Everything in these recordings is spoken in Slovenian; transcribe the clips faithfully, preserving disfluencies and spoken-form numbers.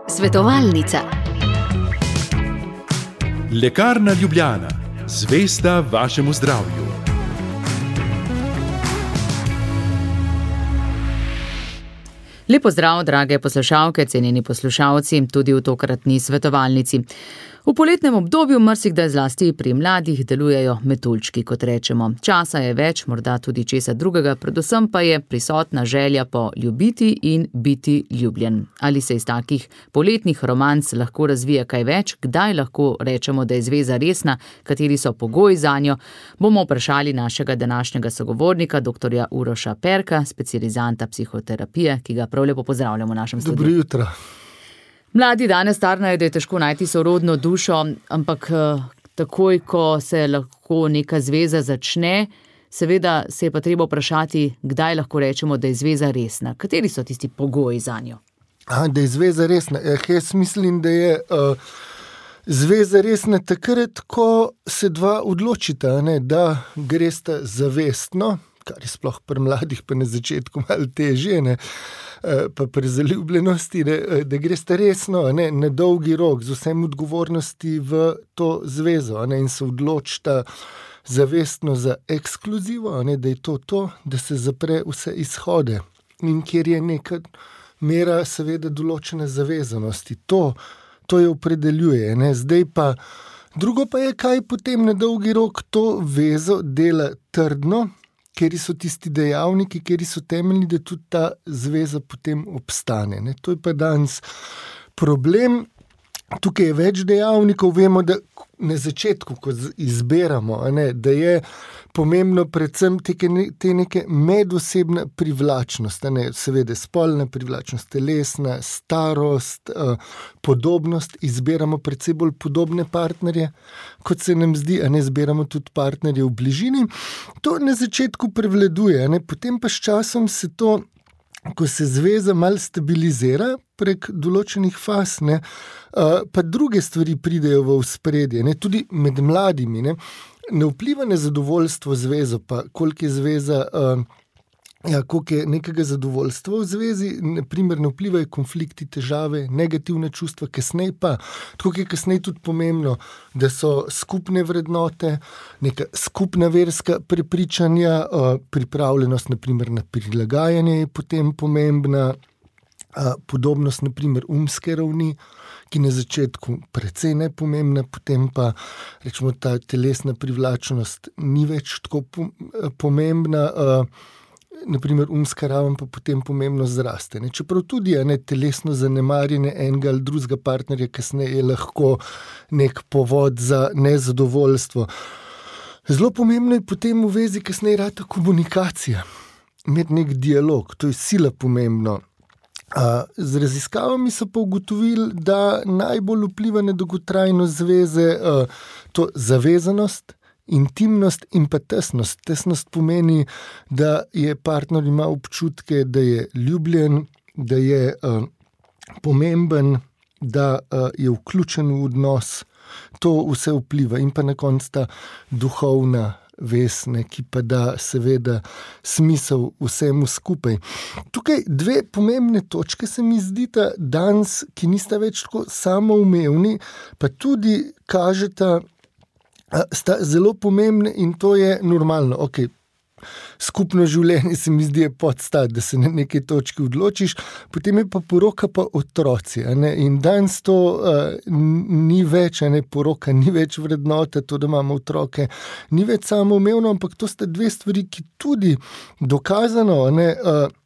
Svetovalnica. Lekarna Ljubljana, zvesta vašemu zdravju. Lep pozdrav, drage poslušalke, cenjeni poslušalci, tudi v tokratni svetovalnici. V poletnem obdobju marsikdaj zlasti pri mladih delujejo metuljčki, kot rečemo. Časa je več, morda tudi česa drugega, predvsem pa je prisotna želja po ljubiti in biti ljubljen. Ali se iz takih poletnih romanc lahko razvija kaj več, kdaj lahko rečemo, da je zveza resna, kateri so pogoji zanjo, bomo vprašali našega današnjega sogovornika, doktorja Uroša Perka, specializanta psihoterapije, ki ga prav lepo pozdravljamo v našem studiu. Dobro jutro. Mladi danes tarnajo, da je težko najti sorodno dušo, ampak takoj, ko se lahko neka zveza začne, seveda se je pa treba vprašati, kdaj lahko rečemo, da je zveza resna. Kateri so tisti pogoji zanjo? A, da je zveza resna. Eh, jaz mislim, da je uh, zveza resna takrat, ko se dva odločita, ne, da gresta zavestno, kar je sploh pri mladih pa na začetku malo težje, ne, pa pri zaljubljenosti, ne, da gresta resno, ne, na dolgi rok, z vsem odgovornosti v to zvezo, ne, in se odločita zavestno za ekskluzivo, ne, da je to to, da se zapre vse izhode. In kjer je neka mera seveda določene zavezanosti. To, to je opredeljuje. Ne. Zdaj pa, drugo pa je, kaj potem na dolgi rok to vezo dela trdno, kjer so tisti dejavniki, kjer so temeljni, da tudi ta zveza potem obstane. Ne. To je pa danes problem. Tukaj je več dejavnikov, vemo, da na začetku, ko izberamo, ne, da je pomembno predvsem te, te neke medosebna privlačnost, ne, seveda spolna privlačnost, telesna, starost, eh, podobnost, izberamo predvsem bolj podobne partnerje, kot se nam zdi, a ne izberamo tudi partnerje v bližini. To na začetku prevladuje, ne, potem pa s časom se to, ko se zveza malo stabilizira prek določenih faz, ne, pa druge stvari pridejo v ospredje, ne, tudi med mladimi, ne, ne vpliva na zadovoljstvo zvezo, pa koliko je zveza, ja, koliko je nekega zadovoljstva v zvezi, naprimer ne vplivajo konflikti, težave, negativne čustva, kasneje pa, tako je kasneje tudi pomembno, da so skupne vrednote, neka skupna verska prepričanja, pripravljenost naprimer na prilagajanje je potem pomembna, podobnost naprimer umske ravni, ki na začetku precej nepomembna, potem pa rečemo ta telesna privlačnost ni več tako pomembna, naprimer umska raven pa potem pomembno zraste. Ne. Čeprav tudi je ne, telesno zanemarjanje enega ali drugega partnerja kasneje je lahko nek povod za nezadovoljstvo. Zelo pomembno je potem v vezi kasneje rata komunikacija, imeti nek dialog, to je sila pomembno. Z raziskavami so pa ugotovili, da najbolj vpliva na dolgotrajno zveze to zavezanost, intimnost in pa tesnost. Tesnost pomeni, da je partner ima občutke, da je ljubljen, da je uh, pomemben, da uh, je vključen v odnos. To vse vpliva in pa na koncu ta duhovna vez, ne, ki pa da seveda smisel vsemu skupaj. Tukaj dve pomembne točke se mi zdita danes, ki nista več tako samoumevni, pa tudi kažeta, sta zelo pomembne in to je normalno. Okay. Skupno življenje se mi zdi je podstat, da se na neki točki odločiš, potem je pa poroka pa otroci. Ne? In danes to uh, ni več, ne? Poroka ni več vrednota, to, da imamo otroke, ni več samoumevno, ampak to sta dve stvari, ki tudi dokazano, ne, uh,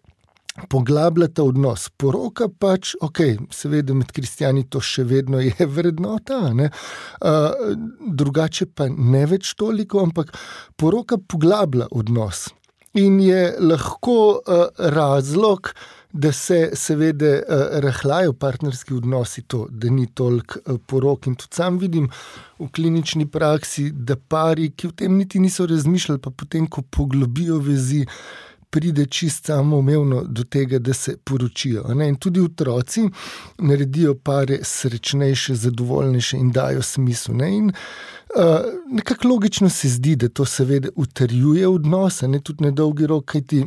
poglabljata odnos. Poroka pač, ok, seveda med kristjani to še vedno je vrednota, ne? Uh, drugače pa ne več toliko, ampak poroka poglablja odnos in je lahko uh, razlog, da se seveda uh, rahljajo partnerski odnosi, to, da ni toliko uh, porok. In tudi sam vidim v klinični praksi, da pari, ki v tem niti niso razmišljali, pa potem, ko poglobijo vezi, pride čist samoumevno do tega, da se poročijo. Ne? In tudi otroci naredijo pare srečnejše, zadovoljnejše in dajo smisel. Ne? In uh, nekako logično se zdi, da to seveda utrjuje odnose, ne? Tudi na dolgi rok, kajti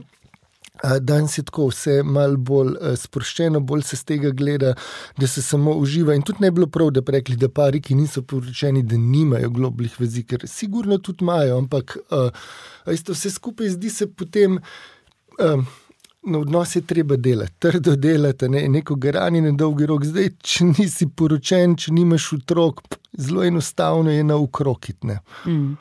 Danes je tako vse malo bolj sproščeno, bolj se z tega gleda, da se samo uživa. In tudi ne bi bilo prav, da bi rekli, da pari, ki niso poročeni, da nimajo globlih vezi, ker sigurno tudi imajo, ampak uh, isto vse skupaj zdi se potem, uh, na odnos je treba delati, trdo delati, ne, neko garanje na dolgi rok. Zdaj, če nisi poročen, če nimaš otrok, zelo enostavno je na ukrokit, ne. Mm.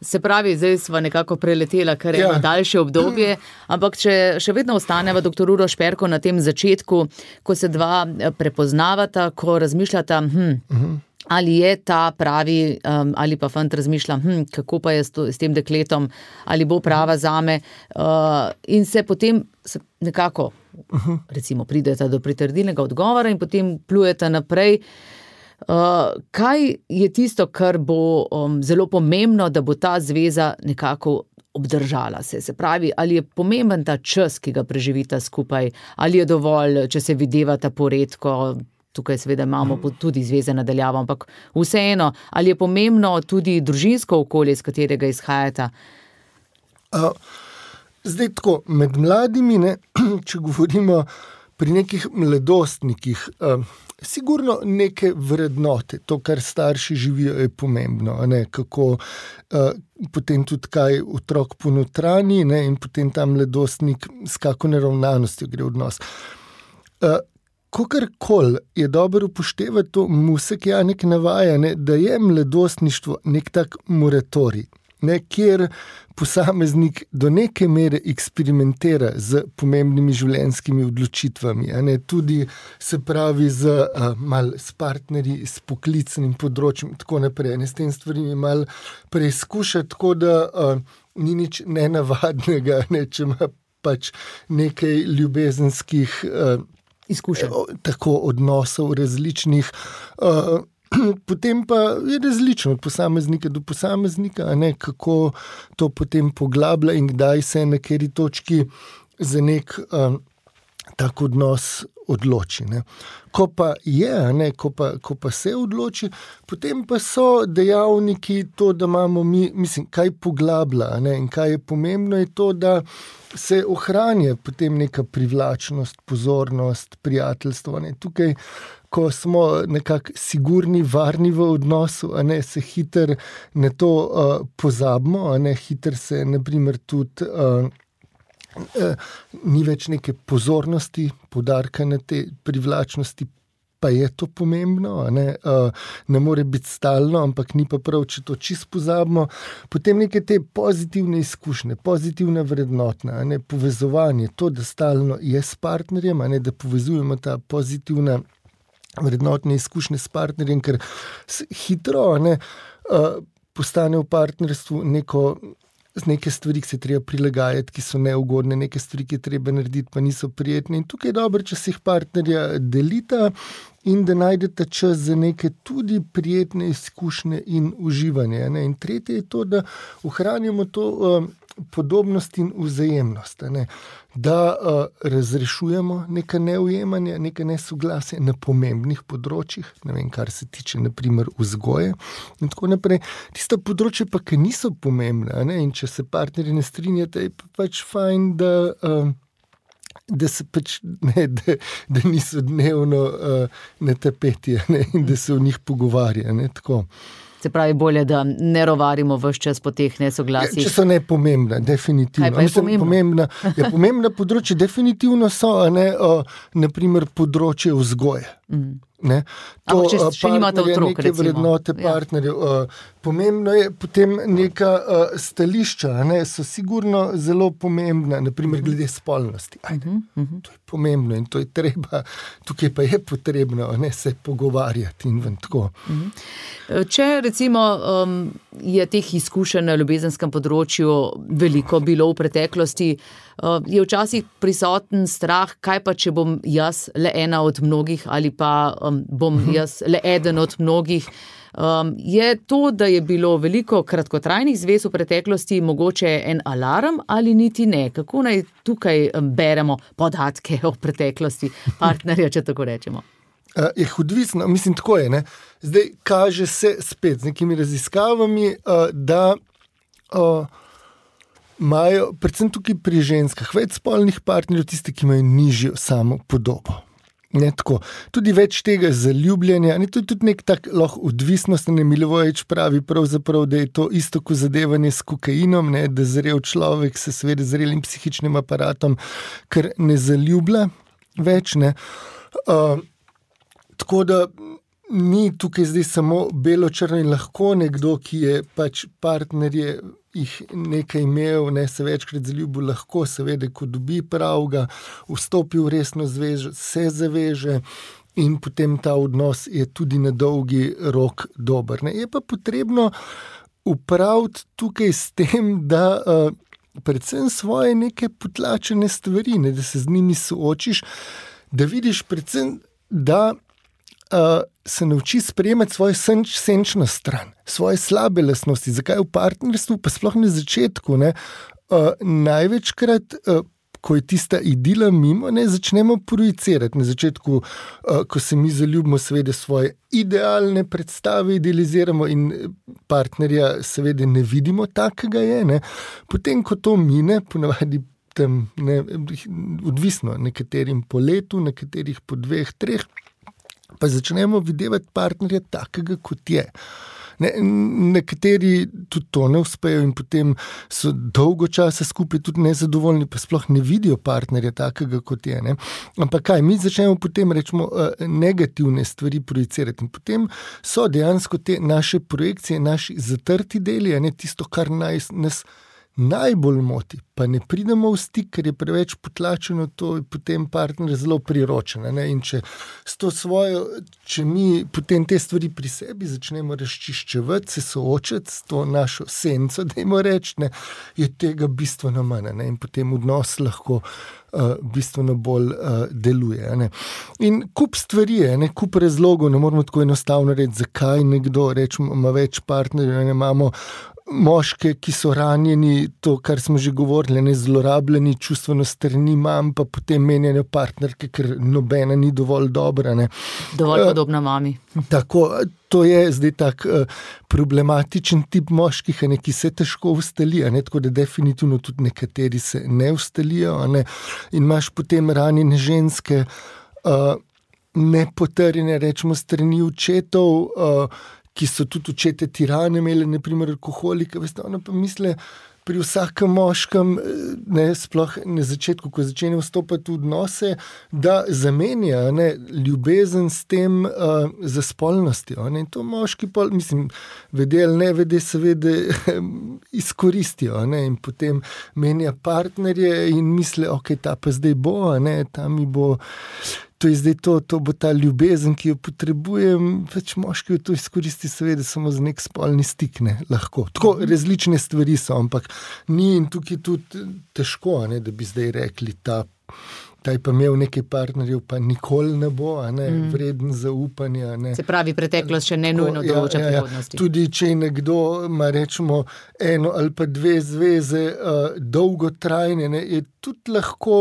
Se pravi, zdaj sva nekako preletela kar eno ja. daljše obdobje, ampak če še vedno ostaneva doktor Uroš Perko na tem začetku, ko se dva prepoznavata, ko razmišljata, hm, uh-huh. ali je ta pravi, um, ali pa fant razmišlja, hm, kako pa je s, to, s tem dekletom, ali bo prava zame, uh, in se potem se nekako, uh-huh. recimo, prideta do pritrdilnega odgovora in potem plujeta naprej. Uh, kaj je tisto, kar bo um, zelo pomembno, da bo ta zveza nekako obdržala se? Se pravi, ali je pomemben ta čas, ki ga preživita skupaj, ali je dovolj, če se videvata poredko, tukaj seveda imamo tudi zveze nadaljavo, ampak vseeno, ali je pomembno tudi družinsko okolje, iz katerega izhajata? Uh, zdaj tako, med mladimi, ne, če govorimo pri nekih mladostnikih, uh, sigurno neke vrednote, to, kar starši živijo, je pomembno, ne, kako uh, potem tudi kaj otrok ponotranji, ne, in potem ta mladostnik s kako neravnanostjo gre v odnos. Uh, Kokarkoli je dobro upoštevati to, Musek Janek navaja, ne, da je mladostništvo nek tak moratorij, ne, kjer posameznik do neke mere eksperimentira z pomembnimi življenjskimi odločitvami, a ne, tudi se pravi z, uh, mal, s partnerji, s poklicnim področjem, tako naprej, ne, s tem stvarimi mal preizkuša, tako da uh, ni nič nenavadnega, ne, če ima pač nekaj ljubezenskih uh, izkušenj, tako odnosov različnih, uh, potem pa je različno od posameznika do posameznika, a ne, kako to potem poglablja in kdaj se na kateri točki za nek um, tak odnos odloči, ne. Ko pa je, a ne, ko pa, ko pa se odloči, potem pa so dejavniki to, da imamo mi, mislim, kaj poglablja, a ne, in kaj je pomembno, je to, da se ohranja potem neka privlačnost, pozornost, prijateljstvo, a ne. Tukaj, ko smo nekako sigurni, varni v odnosu, a ne, se hiter na to uh, pozabimo, a ne, hiter se, na primer, tudi uh, uh, ni več neke pozornosti, poudarka na te privlačnosti, pa je to pomembno, a ne, uh, ne more biti stalno, ampak ni pa prav, če to čisto pozabimo. Potem neke te pozitivne izkušnje, pozitivna vrednotna, a ne, povezovanje, to, da stalno je s partnerjem, a ne, da povezujemo ta pozitivna vrednotne izkušnje s partnerjem, ker hitro, ne, uh, postane v partnerstvu neko, neke stvari, ki se treba prilagajati, ki so neugodne, neke stvari, ki je treba narediti, pa niso prijetne. In tukaj je dobro, če se jih partnerja delita in da najdete čas za neke tudi prijetne izkušnje in uživanje, ne. In tretje je to, da ohranjamo to uh, podobnost in vzajemnost, ne. Da uh, razrešujemo neka neujemanja, neka nesoglasja na pomembnih področjih, ne vem, kar se tiče naprimer vzgoje in tako naprej. Tista področja pa, ki niso pomembna, ne, in če se partnerji ne strinjate, je pa pač fajn, da, uh, da se pač, ne, da, da niso dnevno uh, na tapeti, ne, in da se o njih pogovarja, ne, tako. Se pravi, bolje, da ne rovarimo ves čas po teh nesoglasjih. Ja, če so nepomembna, definitivno. Kaj pa je Mislim, pomembna? Ja, pomembna področje definitivno so, a ne, o, naprimer področje vzgoje. Mm. Ne? To, Ampak, če, če nimate otrok, neke recimo. Vrednote partnerjev. Ja. Pomembno je potem neka uh, stališča, ne, so sigurno zelo pomembna, naprimer glede spolnosti. Ajde, uh-huh, uh-huh. To je pomembno in to je treba, tukaj pa je potrebno, ne, se pogovarjati in ven tako. Uh-huh. Če recimo um, je teh izkušenj na ljubezenskem področju veliko bilo v preteklosti, uh, je včasih prisoten strah, kaj pa, če bom jaz le ena od mnogih ali pa um, bom uh-huh. jaz le eden od mnogih. Um, je to, da je bilo veliko kratkotrajnih zvez v preteklosti mogoče en alarm ali niti ne? Kako naj tukaj beremo podatke o preteklosti partnerja, če tako rečemo? Uh, je odvisno, mislim, tako je, ne. Zdaj kaže se spet z nekimi raziskavami, uh, da uh, imajo, predvsem tukaj pri ženskah, več spolnih partnerjev, tisti, ki imajo nižjo samo podobo. Ne, tako. Tudi več tega zaljubljanja, ne, to je tudi nek tak lahko odvisnost, ne, Milivojevič pravi pravzaprav, da je to isto kot zadevanje s kokainom, ne, da zrel človek se seveda zrelim psihičnim aparatom, ker ne zaljublja več, ne. Uh, tako da ni tukaj zdaj samo belo-črno in lahko nekdo, ki je pač partnerje jih nekaj imel, ne, se večkrat zaljubil, lahko seveda, ko dobi pravga, vstopi v resno zvezo, se zaveže in potem ta odnos je tudi na dolgi rok dober. Ne. Je pa potrebno upraviti tukaj s tem, da uh, predvsem svoje neke potlačene stvari, ne, da se z njimi soočiš, da vidiš predvsem, da Uh, se nauči sprejemati svojo senč, senčno stran, svoje slabe lastnosti. Zakaj v partnerstvu, pa sploh na začetku, ne, uh, največkrat, uh, ko je tista idila mimo, ne, začnemo projicirati. Na začetku, uh, ko se mi zaljubimo, seveda svoje idealne predstave idealiziramo in partnerja seveda ne vidimo takega je. Ne. Potem, ko to mine, ponavadi tam, ne, odvisno, nekaterim po letu, nekaterih po dveh, treh, pa začnemo videvati partnerja takega, kot je. Ne, nekateri tudi to ne uspejo in potem so dolgo časa skupaj tudi nezadovoljni, pa sploh ne vidijo partnerja takega, kot je. Ne. Ampak kaj, mi začnemo potem, rečemo, negativne stvari projicirati in potem so dejansko te naše projekcije, naši zatrti deli, ne, tisto, kar naj, nas najbolj moti, pa ne pridemo v stik, ker je preveč potlačeno, to je potem partner zelo priročen. Ne? In če s to svojo, če mi potem te stvari pri sebi začnemo razčiščevati, se soočati s to našo senco, dajmo reči, ne, je tega bistveno manj, ne? In potem odnos lahko uh, bistveno bolj uh, deluje. Ne? In kup stvari je, ne? Kup razlogov, ne moramo tako enostavno reči, zakaj nekdo, rečemo, ima več partnerjev, ne imamo moške, ki so ranjeni, to, kar smo že govorili, ne, zlorabljeni, čustveno strani imam, pa potem menjajo partnerke, ker nobena ni dovolj dobra. Ne. Dovolj podobna mami. Tako, to je zdaj tak uh, problematičen tip moških, ne, ki se težko ustali, ne, tako da definitivno tudi nekateri se ne ustalijo. Ne, in imaš potem ranjene ženske, uh, nepotrjene, rečemo, strani očetov, uh, ki so tudi očete tirane imeli, naprimer alkoholika, veste, ona pa misle pri vsakem moškem, ne, sploh na začetku, ko začne vstopati v odnose, da zamenja, ne, ljubezen s tem uh, za spolnostjo. Ne, in to moški pol, mislim, vede ali ne vede, seveda izkoristijo, ne, in potem menja partnerje in misle, ok, ta pa zdaj bo, ne, ta mi bo. To je zdaj to, to bo ta ljubezen, ki jo potrebujem, več moški to izkoristi seveda samo za nek spolni stik, ne, lahko. Tako različne stvari so, ampak ni in tukaj tudi težko, ne, da bi zdaj rekli, ta, ta je pa imel nekaj partnerjev, pa nikoli ne bo, ne, mm. vreden zaupanja. Ne. Se pravi, preteklost še ne nujno določa ja, ja, ja. prihodnosti. Tudi če nekdo ima, rečemo, eno ali pa dve zveze uh, dolgotrajne, ne, je tudi lahko.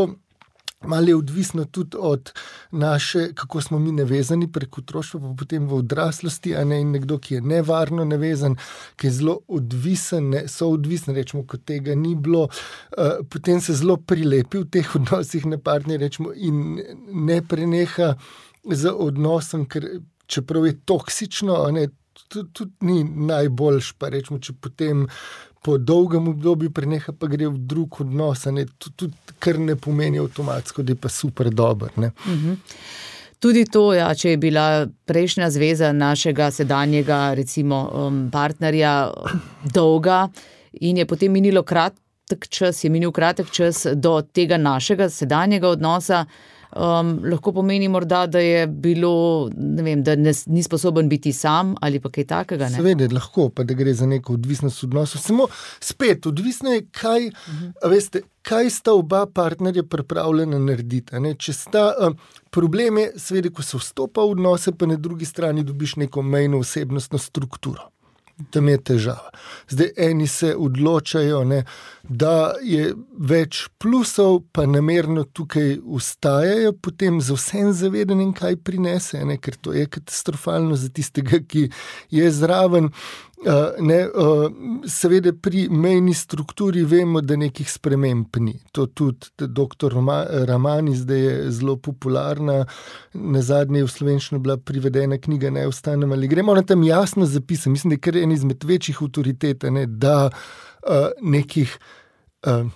Malo je odvisno tudi od naše, kako smo mi navezani prek otroštva, pa potem v odraslosti, a ne, in nekdo, ki je nevarno navezan, ki je zelo odvisen, ne, so odvisen, rečemo, kot tega ni bilo, uh, potem se zelo prilepi v teh odnosih na partnerje, rečemo, in ne preneha z odnosom, ker čeprav je toksično, a ne, tudi, tudi ni najboljš, pa rečemo, če potem po dolgem obdobju preneha, pa gre v drug odnos, ne, tudi kar ne pomeni avtomatsko, da je pa super dober. Ne. Mhm. Tudi to, ja, če je bila prejšnja zveza našega sedanjega, recimo, um, partnerja dolga in je potem minilo kratek čas, je minil kratek čas do tega našega sedanjega odnosa, Um, lahko pomeni morda, da je bilo, ne vem, da ne, ni sposoben biti sam ali pa kaj takega. Ne? Seveda, lahko, pa da gre za neko odvisnost odnosov. Samo spet, odvisno je, kaj, uh-huh. veste, kaj sta oba partnerja pripravljena narediti. Ne? Če sta, um, problem je, seveda, ko se vstopa v odnose, pa na drugi strani dobiš neko mejno osebnostno strukturo. Tam je težava. Zdaj eni se odločajo, ne, da je več plusov, pa namerno tukaj ustajajo, potem za vsem zavedanjem, kaj prinese, ne, ker to je katastrofalno za tistega, ki je zraven. Uh, ne, uh, seveda pri mejni strukturi vemo, da nekih sprememb ni. To tudi doktor Ramani zdaj je zelo popularna. Nazadnje je v slovenščino bila privedena knjiga Ne ostanem ali gremo. Ona tam jasno zapisa, mislim, da je kar en izmed večjih avtoritet, ne, da uh, nekih uh,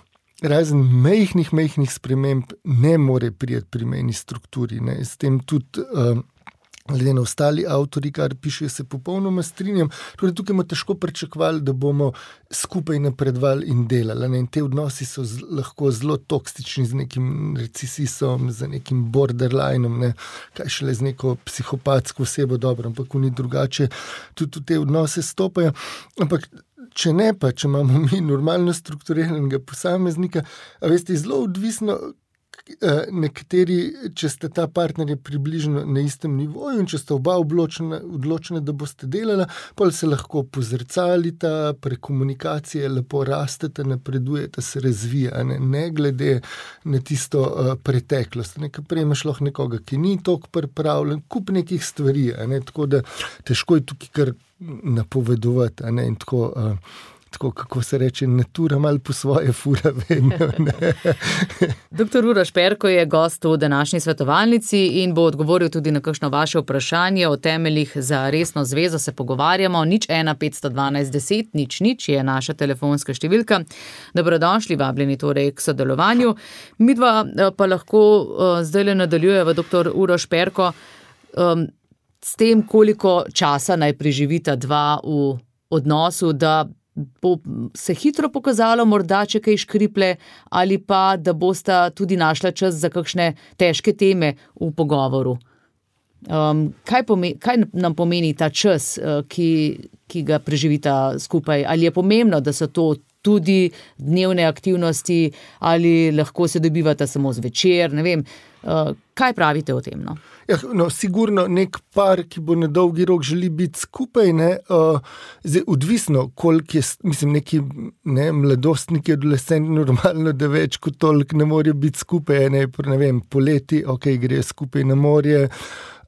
razen mejhnih, mejhnih sprememb ne more prijeti pri mejni strukturi. Ne. S tem tudi uh, glede na ostali avtori, kar piše, se popolnoma strinjam. Torej, tukaj bomo težko pričakovali, da bomo skupaj napredovali in delali. Ne? In te odnosi so z, lahko zelo toksični z nekim recesisom, z nekim borderlinom, ne? Kaj šele z neko psihopatsko osebo, dobro, ampak oni drugače tudi v te odnose stopajo. Ampak če ne pa, če imamo mi normalno strukturiranega posameznika, a veste, zelo odvisno, nekateri, če ste ta partnerja približno na istem nivoju in če ste oba odločena, odločena, da boste delala, pol se lahko pozrcalita, prek komunikacije lepo rastete, napredujete, se razvija, ne, ne glede na tisto uh, preteklost. Nekaj prej imaš lahko nekoga, ki ni toliko pripravljen, kup nekih stvari, ne, tako da težko je tukaj kar napovedovati, ne, in tako... Uh, Tako, kako se reče, natura malo po svoje fura vedno. Doktor Uroš Perko je gost v današnji svetovalnici in bo odgovoril tudi na kakšno vaše vprašanje o temeljih za resno zvezo. Se pogovarjamo, nič ena petsto dvanajst deset, nič nič je naša telefonska številka. Dobrodošli, vabljeni torej k sodelovanju. Midva pa lahko uh, zdaj le nadaljujeva, doktor Uroš Perko, um, s tem, koliko časa naj preživita dva v odnosu, da bo se hitro pokazalo, morda če kaj škriple, ali pa da bosta tudi našla čas za kakšne težke teme v pogovoru. Um, kaj, pomeni, kaj nam pomeni ta čas, ki, ki ga preživita skupaj? Ali je pomembno, da so to tudi dnevne aktivnosti, ali lahko se dobivata samo zvečer, ne vem. Uh, kaj pravite o tem? No? Ja, no, sigurno nek par, ki bo na dolgi rok želi biti skupaj, ne, uh, zdaj, odvisno, koliko je, mislim, neki ne, mladostniki, adolescenti, normalno, da več kot toliko ne morejo biti skupaj, ne, ne vem, poleti, ok, grejo skupaj na morje,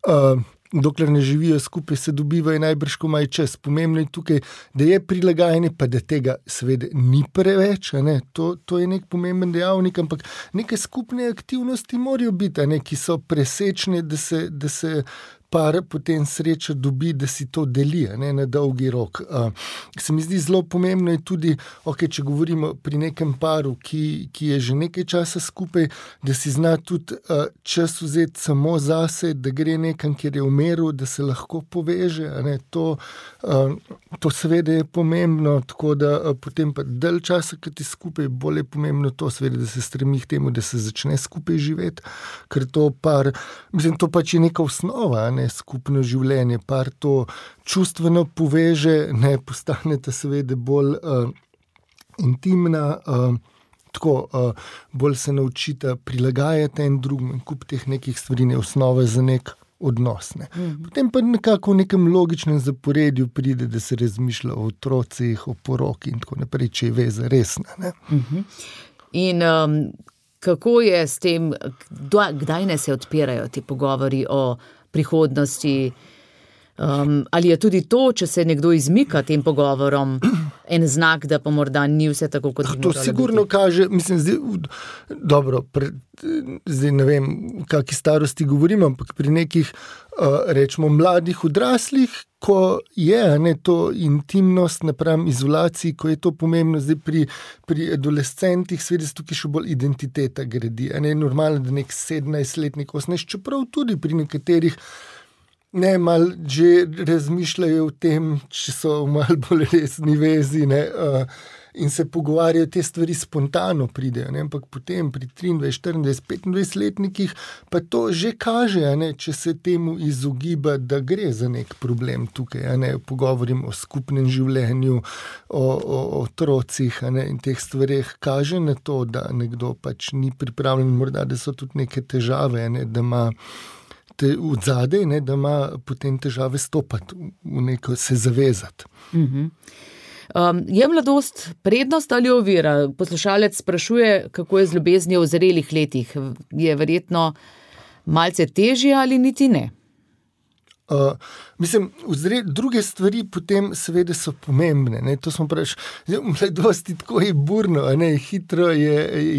uh, dokler ne živijo skupaj, se dobivajo najbrž, ko imajo čas. Pomembno je tukaj, da je prilagajanje, pa da tega seveda ni preveč, ne? To, to je nek pomemben dejavnik, ampak neke skupne aktivnosti morajo biti, ne? Ki so presečne, da se, da se par potem sreča dobi, da si to deli, ne, na dolgi rok. Uh, se mi zdi zelo pomembno je tudi, okay, če govorimo pri nekem paru, ki, ki je že nekaj časa skupaj, da si zna tudi uh, čas vzeti samo zase, da gre nekam, kjer je v miru, da se lahko poveže. Ne, to, uh, to seveda je pomembno, tako da uh, potem pa dalj časa, ki ti skupaj, bolj je pomembno to, seveda, da se stremi k temu, da se začne skupaj živeti, ker to par, mislim, to pač je neka osnova, ne, skupno življenje, par to čustveno poveže, ne, postanete seveda bolj uh, intimna, uh, tako uh, bolj se naučite prilagajati en drugim in kup teh nekih stvari, ne, osnove za nek odnos. Ne. Mm-hmm. Potem pa nekako v nekem logičnem zaporedju pride, da se razmišlja o otrocih, o poroki in tako naprej, če je veza resna. Ne. Mm-hmm. In um, kako je s tem, kdaj ne se odpirajo ti pogovori o prihodnosti, um, ali je tudi to, če se nekdo izmika tem pogovorom, en znak, da pa morda ni vse tako, kot bi moralo biti? To sigurno kaže, mislim, zdaj, dobro, pre, zdaj ne vem, v kakšni starosti govorim, ampak pri nekih, uh, rečemo, mladih odraslih, ko je, ne, to intimnost napram izolaciji, ko je to pomembno, zdaj pri, pri adolescentih, seveda se tukaj še bolj identiteta gradi. Ne, normalno, da nek sedemnajstletnik, osemnajst, čeprav tudi pri nekaterih ne, malo že razmišljajo o tem, če so v malo bolj resni vezi, ne, uh, in se pogovarjajo, te stvari spontano pridejo, ne, ampak potem pri triindvajset, štiriindvajset, petindvajsetletnikih pa to že kaže, ne, če se temu izogiba, da gre za nek problem tukaj, ne, pogovorim o skupnem življenju, o, o, o otrocih, ne, in teh stvareh kaže na to, da nekdo pač ni pripravljen, morda, da so tudi neke težave, ne, da ima te v zadej, ne, da ima potem težave stopati v neko, se zavezati. Mhm. Um, je mladost prednost ali ovira? Poslušalec sprašuje, kako je z ljubeznijo v zrelih letih. Je verjetno malce težje ali niti ne? Uh, mislim, vzre, druge stvari potem seveda so pomembne. Ne? To smo preveč, v mladosti tako je burno, ne? Hitro je,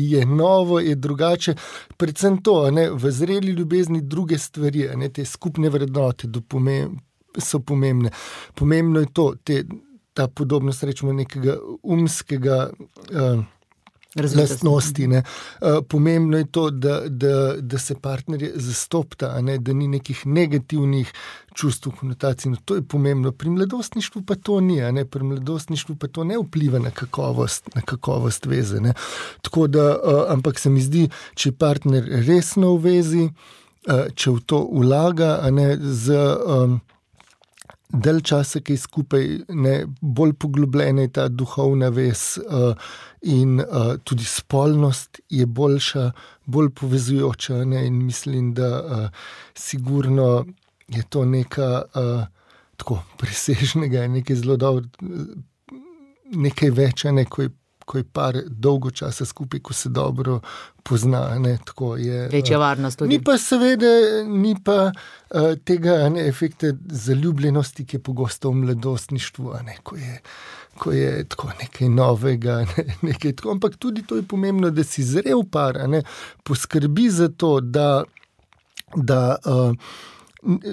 je novo, je drugače. Predvsem to, ne? V zreli ljubezni druge stvari, ne? Te skupne vrednote pomem, so pomembne. Pomembno je to, te, ta podobnost, rečemo, nekega umskega uh, lastnosti. Ne. Uh, pomembno je to, da, da, da se partnerje zastopta, ne, da ni nekih negativnih čustv, konotacij. No, to je pomembno. Pri mladostništvu pa to ni, ne. Pri mladostništvu pa to ne vpliva na kakovost, na kakovost veze. Ne. Tako da, uh, ampak se mi zdi, če je partner resno v vezi, uh, če v to vlaga, a ne z um, del časa, ki je skupaj, ne, bolj poglobljena je ta duhovna vez uh, in uh, tudi spolnost je boljša, bolj povezujoča, ne, in mislim, da uh, sigurno je to neka uh, tako presežnega, nekaj zelo dobro, nekaj več, ne, ko je ko je par dolgo časa skupaj, ko se dobro pozna. Ne, tako je, večja varnost tudi. Ni pa seveda, ni pa uh, tega ne, efekta zaljubljenosti, ki je pogosto v mladostništvu, ne, ko je, ko je tako nekaj novega, ne, nekaj tako. Ampak tudi to je pomembno, da si zrel par, ne, poskrbi za to, da, da uh,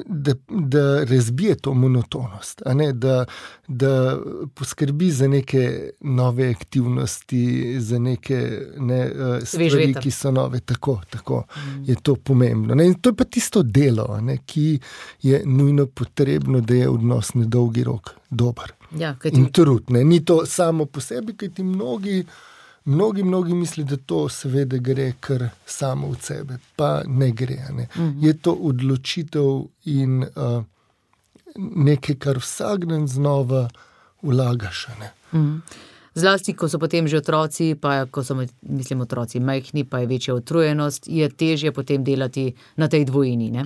Da, da razbije to monotonost, a ne, da, da poskrbi za neke nove aktivnosti, za neke ne, stvari, ki so nove. Tako, tako mm. je to pomembno. Ne. In to je pa tisto delo, ne, ki je nujno potrebno, da je odnos na dolgi rok dober. Ja, in trud. Ne. Ni to samo po sebi, kaj ti mnogi Mnogi, mnogi misli, da to seveda gre kar samo od sebe, pa ne gre. Ne. Mm-hmm. Je to odločitev in uh, nekaj, kar vsak dan znova vlagaš. Ne. Mm-hmm. Zlasti, ko so potem že otroci, pa ko so, mislim, otroci majhni, pa je večja utrujenost, je težje potem delati na tej dvojini, ne?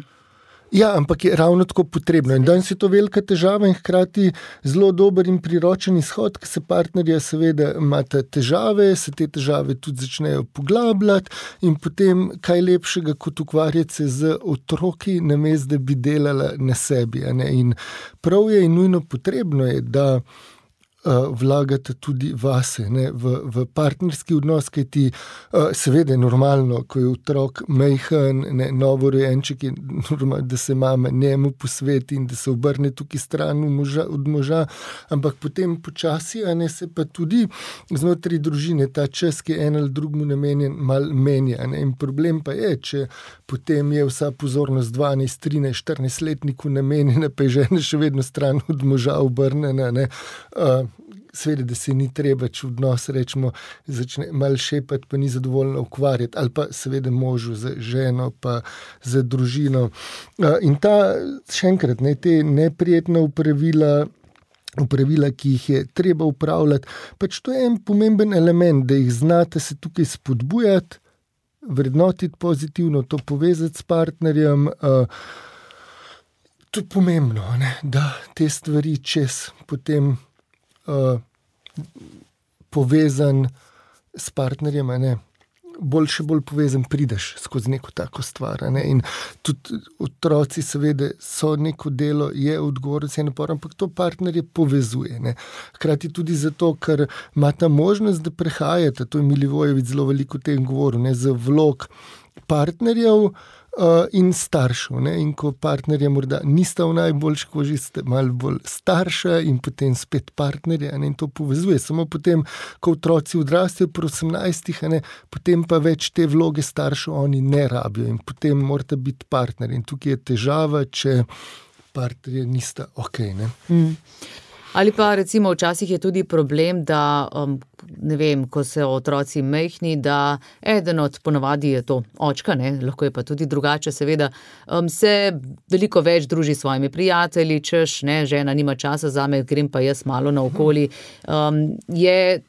Ja, ampak je ravno tako potrebno. In danes je to velika težava in hkrati zelo dober in priročen izhod, ki se partnerja seveda imata težave, se te težave tudi začnejo poglabljati in potem kaj lepšega kot ukvarjati se z otroki, namesto da bi delala na sebi. Ne? In prav je in nujno potrebno je, da vlagate tudi vase, ne, v, v partnerski odnos, kaj ti uh, seveda je normalno, ko je otrok majhen, ne, novorojenček, je normalno, da se mama njemu posveti in da se obrne tukaj stran moža, od moža, ampak potem počasi, a ne, se pa tudi znotraj družine ta čas, ki je en ali drugmu namenjen, mal menja. Ne, in problem pa je, če potem je vsa pozornost dvanajst, trinajst, štirinajst letniku namenjena, pa je žena še vedno stran od moža obrnjena, ne, uh, seveda, da se ni treba, če odnos rečemo, začne malo šepati, pa ni zadovoljno ukvarjati, ali pa seveda možu za ženo, pa za družino. In ta, še enkrat, ne, te neprijetna upravila, upravila, ki jih je treba upravljati, pač to je en pomemben element, da jih znate se tukaj spodbujati, vrednotiti pozitivno, to povezati s partnerjem. To je pomembno, ne, da te stvari čez potem Uh, povezan s partnerjem, ne, bolj še bolj povezan prideš skozi neko tako stvar. Ne, in tudi otroci seveda so neko delo, je odgovornost, je napor, ampak to partnerje povezuje. Ne. Hkrati tudi zato, ker ima ta možnost, da prehajate, to je Milivojević zelo veliko o tem govoril, ne, za vlog partnerjev Uh, in staršev. Ne? In ko partnerja morda nista v najboljši koži, ste malo bolj starša in potem spet partnerja, ne? In to povezuje. Samo potem, ko otroci odrastejo pri osemnajstih, ne? Potem pa več te vloge staršev oni ne rabijo in potem morata biti partner. In tukaj je težava, če partnerja nista ok. Ne? Mm. Ali pa recimo včasih je tudi problem, da um, ne vem, ko so otroci majhni, da eden od ponavadi je to očka, ne, lahko je pa tudi drugače, seveda, um, se veliko več druži s svojimi prijatelji, češ, ne, žena nima časa zame, grem pa jaz malo naokoli. Um, je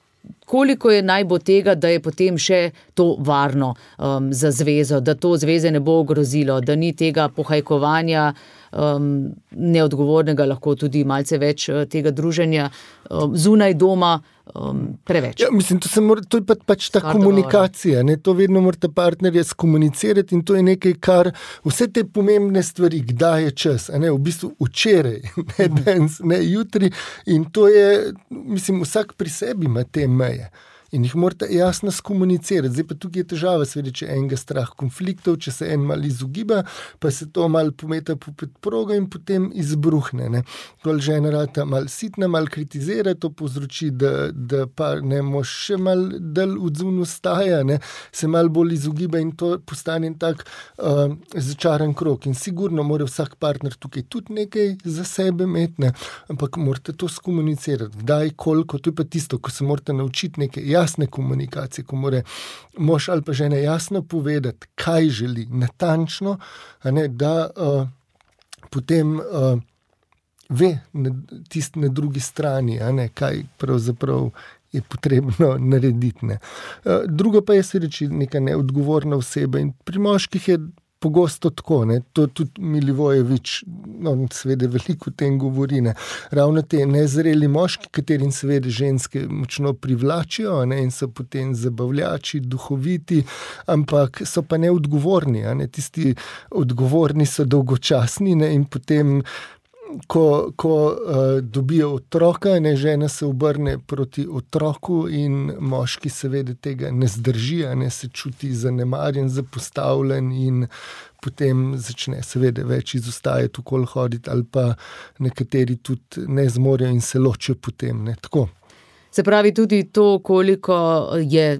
koliko je naj bo tega, da je potem še to varno um, za zvezo, da to zveze ne bo ogrozilo, da ni tega pohajkovanja, um, neodgovornega, lahko tudi malce več tega druženja um, zunaj doma, um, preveč. Ja, mislim, to, se mora, to je pa, pač ta Kar komunikacija, ne? To vedno morate partnerje skomunicirati in to je nekaj, kar vse te pomembne stvari, kdaj je čas, a ne, v bistvu včeraj, ne danes, ne jutri, in to je, mislim, vsak pri sebi ima te meje. In jih morate jasno skomunicirati. Zdaj pa tukaj je težava, seveda, če enega strah konfliktov, če se en mal izogiba, pa se to mal pometa po predprogo in potem izbruhne. Ne. Kol žena rata mal sitna, mal kritizira, to povzroči, da, da pa ne mož še mal del odzun ustaja, ne, se mal bolj izogiba in to postane tak uh, začaran krog. In sigurno mora vsak partner tukaj tudi nekaj za sebe imeti, ne, ampak morate to skomunicirati. Kdaj, koliko, to je pa tisto, ko se morate naučiti nekaj jasne komunikacije, ko mora mož ali pa žena jasno povedati, kaj želi, natančno, a ne, da uh, potem uh, ve tisti na drugi strani, a ne, kaj pravzaprav je potrebno narediti. Ne. Uh, drugo pa je se reči neka neodgovorna oseba in pri moških je pogosto tako, ne, to tudi Milivojevič, no, seveda veliko o tem govori, ne, ravno te nezreli moški, katerim seveda ženske močno privlačijo, ne, in so potem zabavljači, duhoviti, ampak so pa neodgovorni, a ne, tisti odgovorni so dolgočasni, ne, in potem Ko, ko uh, dobijo otroka, ne, žena se obrne proti otroku in moški seveda tega ne zdrži, ne, se čuti zanemarjen, zapostavljen in potem začne seveda več izostajati, okoli hoditi ali pa nekateri tudi ne zmorejo in se ločijo potem. Ne, tako. Se pravi tudi to, koliko je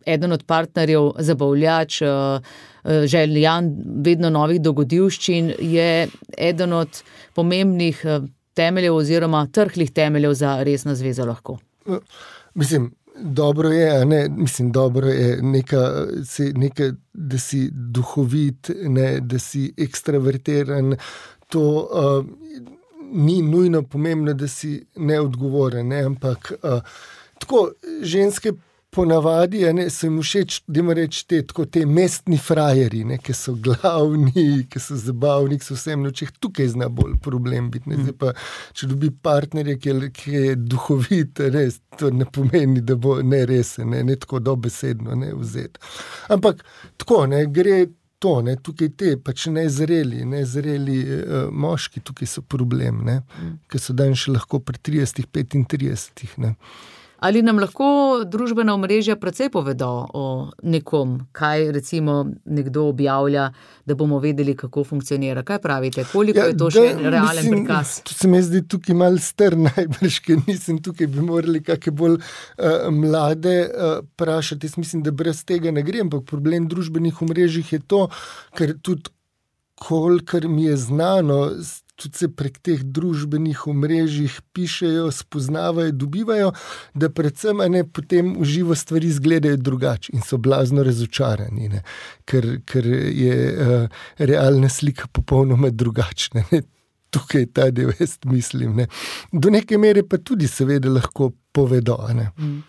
eden od partnerjev zabavljač, željan vedno novih dogodivščin, je eden od pomembnih temeljev oziroma trhlih temeljev za resno zvezo lahko. Mislim, dobro je, a ne, mislim, dobro je neka, neka, da si duhovit, ne, da si ekstravertiran, to uh, ni nujno pomembno, da si neodgovoren, ne, ampak uh, tako ženske ponavadi, ne, so jim všeč, dajmo reči, te, tako, te mestni frajeri, ne, ki so glavni, ki so zabavni, ki so vsem nočeh, tukaj zna bolj problem biti. Ne. Zdaj pa, če dobi partnerje, ki je, ki je duhovit, ne, to ne pomeni, da bo neresen, ne, ne tako dobesedno ne, vzeti. Ampak tako, ne, gre to, ne, tukaj te, pač nezreli, nezreli uh, moški, tukaj so problem, ne, ki so dan še lahko pri tridesetih, petintridesetih, ne. Ali nam lahko družbena omrežja precej povedo o nekom, kaj recimo nekdo objavlja, da bomo vedeli, kako funkcionira? Kaj pravite? Koliko ja, je to da, še realen mislim, prikaz? To se mi zdi tukaj malo star najbrž, ker nisem tukaj, bi morali kakšne bolj uh, mlade uh, prašati. Jaz mislim, da brez tega ne gre, ampak problem družbenih omrežjih je to, ker tudi kolikor mi je znano, tudi se prek teh družbenih omrežjih pišejo, spoznavajo, dobivajo, da predvsem ne, potem v živo stvari izgledajo drugače in so blazno razočarani, ne, ker, ker je uh, realna slika popolnoma drugačna. Ne. Tukaj ta del jaz mislim. Ne. Do neke mere pa tudi seveda lahko povedo. Ne. Mm.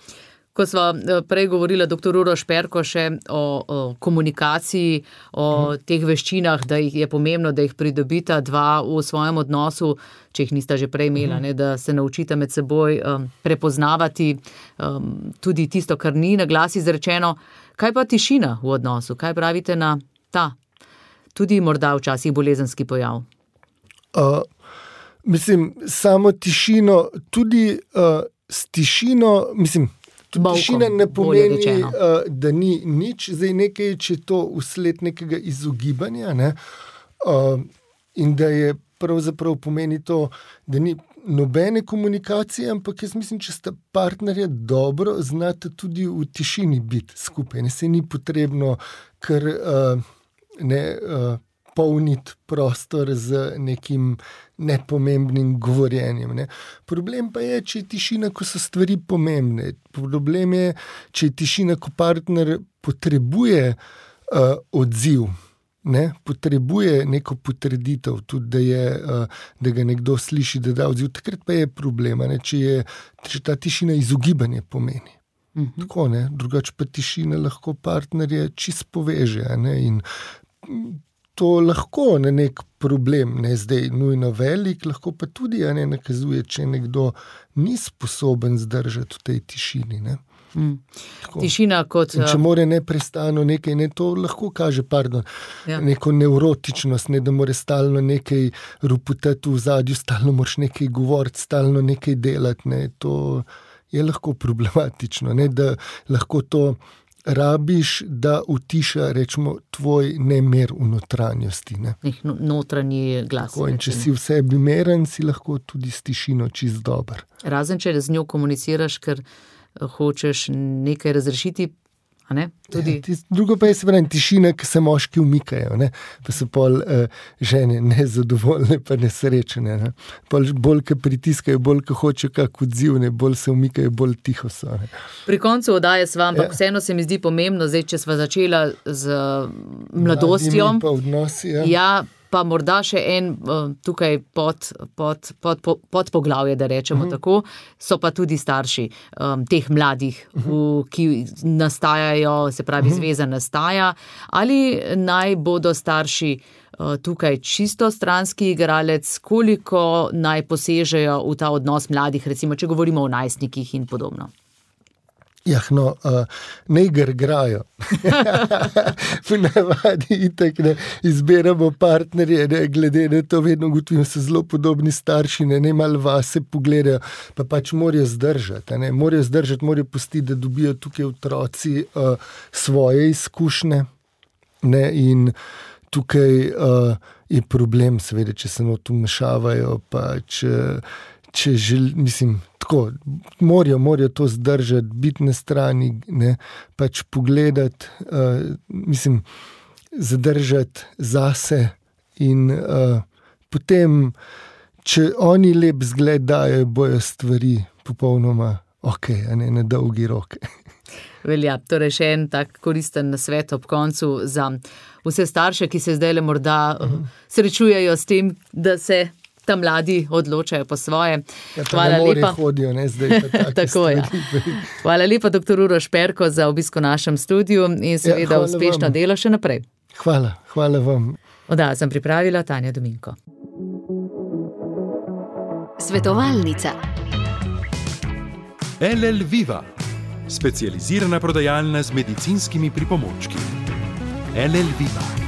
Ko sva prej govorila doktor Uroš Perko še o, o komunikaciji, o hmm. teh veščinah, da jih je pomembno, da jih pridobita dva v svojem odnosu, če jih nista že prej imela, hmm. ne, da se naučita med seboj um, prepoznavati um, tudi tisto, kar ni na glas izrečeno. Kaj pa tišina v odnosu? Kaj pravite na ta, tudi morda včasih bolezenski pojav? Uh, mislim, samo tišino, tudi uh, s tišino, mislim, tišina ne pomeni, uh, da ni nič, zdaj nekaj, če to vsled nekega izogibanja, ne, uh, in da je pravzaprav pomeni to, da ni nobene komunikacije, ampak jaz mislim, če sta partnerja dobro, znate tudi v tišini biti skupaj, ne, se ni potrebno kar uh, ne uh, polniti prostor z nekim nepomembnim govorjenjem. Ne. Problem pa je, če je tišina, ko so stvari pomembne. Problem je, če je tišina, ko partner potrebuje uh, odziv, ne, potrebuje neko potrditev, tudi da, je, uh, da ga nekdo sliši, da da odziv. Takrat pa je problem, ne, če, je, če ta tišina izogibanje pomeni. Mhm. Tako, ne, drugače pa tišina lahko partnerje čist poveže, ne, in to lahko na nek problem, ne zdaj nujno velik, lahko pa tudi, a ne, nakazuje, če nekdo ni sposoben zdržati v tej tišini, ne. Mm. Tišina kot... In če more neprestano nekaj, ne, to lahko kaže, pardon, ja. neko nevrotičnost, ne, da more stalno nekaj ruputati v zadju, stalno moraš nekaj govoriti, stalno nekaj delati, ne, to je lahko problematično, ne, da lahko to rabiš, da utiša, rečemo, tvoj nemer v notranjosti, ne. Nek notranji glas. Tako, in če si v sebi meren, si lahko tudi s tišino čist dober. Razen, če z njo komuniciraš, ker hočeš nekaj razrešiti, a ne? Tudi... Ja, drugo pa je seveda tišina, ki se moški umikajo, ne? Pa so pol uh, žene nezadovoljne pa nesrečene. Ne? Pol bolj, ki pritiskajo, bolj, ki hočejo kak odziv, ne? Bolj se umikajo, bolj tiho so. Ne? Pri koncu oddaje sva, ampak ja. Vseeno se mi zdi pomembno, zdaj, če sva začela z mladostjo. Mladimi pa odnosi, ja. Ja, pa morda še en tukaj pod, pod, pod, pod, pod poglavje, da rečemo uh-huh. tako, so pa tudi starši um, teh mladih, uh-huh. v, ki nastajajo, se pravi, uh-huh. zveza nastaja, ali naj bodo starši uh, tukaj čisto stranski igralec, koliko naj posežejo v ta odnos mladih, recimo, če govorimo o najstnikih in podobno. Jah, no, uh, ne igrajo. V navadi itak ne izberamo partnerje, ne, glede na to vedno ugotovimo, so zelo podobni starši, ne, ne malo vase pogledajo, pa pač morajo zdržati, ne, morajo zdržati, morajo pustiti, da dobijo tukaj otroci uh, svoje izkušnje, ne, in tukaj uh, je problem, seveda, če se not vmešavajo, pač, če žel, mislim, tako, morajo, morajo to zdržati, biti na strani, ne, pač pogledati, uh, mislim, zadržati zase in uh, potem, če oni lep zgled dajo, bojo stvari popolnoma ok, a ne na dolgi rok. Velja, torej še en tak koristen nasvet ob koncu za vse starše, ki se zdaj le morda uh-huh. srečujejo s tem, da se ta mladi odločajo po svoje. Ja, Hvala lepa. Hodijo, ne, zdaj pa tako, ja. Hvala lepa, doktor Uroš Perko, za obisk v našem studiu in seveda ja, uspešno vam. Delo še naprej. Hvala, hvala vam. Oddajo sem pripravila Tanja Dominko. Svetovalnica. L L Viva, specializirana prodajalna z medicinskimi pripomočki. L L Viva.